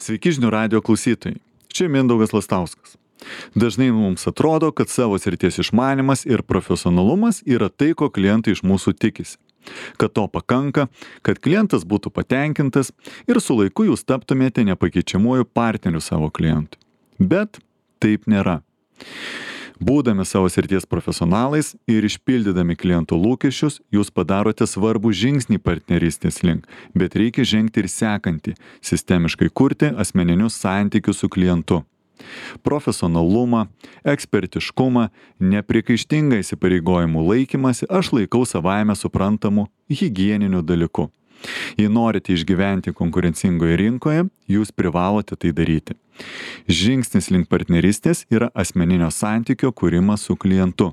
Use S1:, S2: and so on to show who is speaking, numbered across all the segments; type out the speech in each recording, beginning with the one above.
S1: Sveiki žinių radijo klausytojai. Čia Mindaugas Lastauskas. Dažnai mums atrodo, kad savo srities išmanimas ir profesionalumas yra tai, ko klientai iš mūsų tikisi. Kad to pakanka, kad klientas būtų patenkintas ir su laiku jūs taptumėte nepakeičiamuoju partneriu savo klientui. Bet taip nėra. Būdami savo srities profesionalais ir išpildydami klientų lūkesčius, jūs padarote svarbų žingsnį partnerystės link, bet reikia žengti ir sekantį, sistemiškai kurti asmeninius santykius su klientu. Profesionalumą, ekspertiškumą, nepriekaištingą įsipareigojimų laikymasi aš laikau savaime suprantamu higieniniu dalyku. Jei norite išgyventi konkurencingoje rinkoje, jūs privalote tai daryti. Žingsnis link partnerystės yra asmeninio santykio kūrimas su klientu.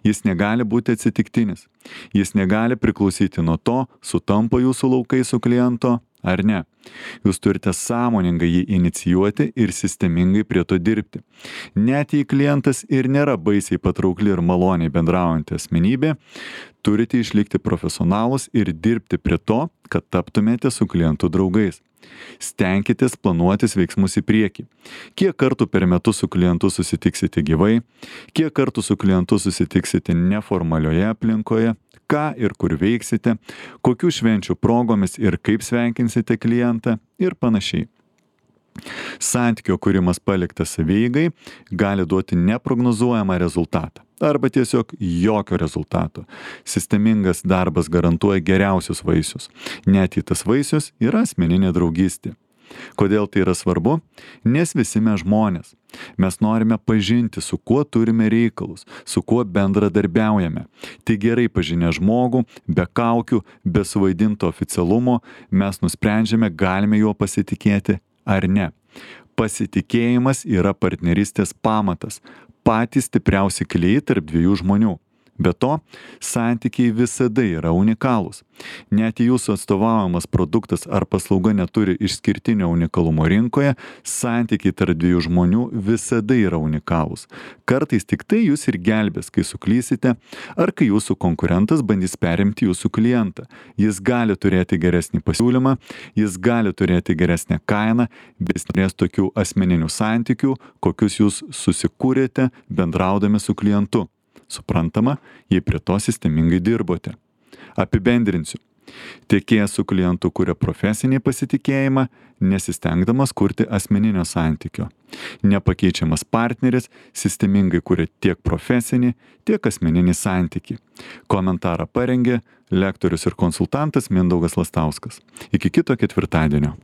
S1: Jis negali būti atsitiktinis. Jis negali priklausyti nuo to, sutampa jūsų laukai su kliento ar ne. Jūs turite sąmoningai jį inicijuoti ir sistemingai prie to dirbti. Net jei klientas ir nėra baisiai patraukli ir maloniai bendraujanti asmenybė, turite išlikti profesionalus ir dirbti prie to, kad taptumėte su klientu draugais. Stenkitės planuotis veiksmus į priekį. Kiek kartų per metus su klientu susitiksite gyvai, kiek kartų su klientu susitiksite neformalioje aplinkoje, ką ir kur veiksite, kokių švenčių progomis ir kaip sveikinsite klientą ir panašiai. Santykio kūrimas paliktas savieigai gali duoti neprognozuojamą rezultatą arba tiesiog jokio rezultato. Sistemingas darbas garantuoja geriausius vaisius, net jei tas vaisius yra asmeninė draugystė. Kodėl tai yra svarbu? Nes visi mes žmonės. Mes norime pažinti, su kuo turime reikalus, su kuo bendradarbiaujame. Tai gerai pažinę žmogų, be kaukių, be suvaidinto oficialumo, mes nusprendžiame, galime juo pasitikėti ar ne. Pasitikėjimas yra partnerystės pamatas, patys stipriausi klijai tarp dviejų žmonių. Be to, santykiai visada yra unikalūs. Net jei jūsų atstovaujamas produktas ar paslauga neturi išskirtinio unikalumo rinkoje, santykiai tarp dviejų žmonių visada yra unikalūs. Kartais tik tai jūs ir gelbės, kai suklysite, ar kai jūsų konkurentas bandys perimti jūsų klientą. Jis gali turėti geresnį pasiūlymą, jis gali turėti geresnę kainą, bet jis turės tokių asmeninių santykių, kokius jūs susikūrėte bendraudami su klientu. Suprantama, jei prie to sistemingai dirbote. Apibendrinsiu. Tiekėjas su klientu kuria profesinį pasitikėjimą, nesistengdamas kurti asmeninio santykio. Nepakeičiamas partneris sistemingai kuria tiek profesinį, tiek asmeninį santykį. Komentarą parengė lektorius ir konsultantas Mindaugas Lastauskas. Iki kito ketvirtadienio.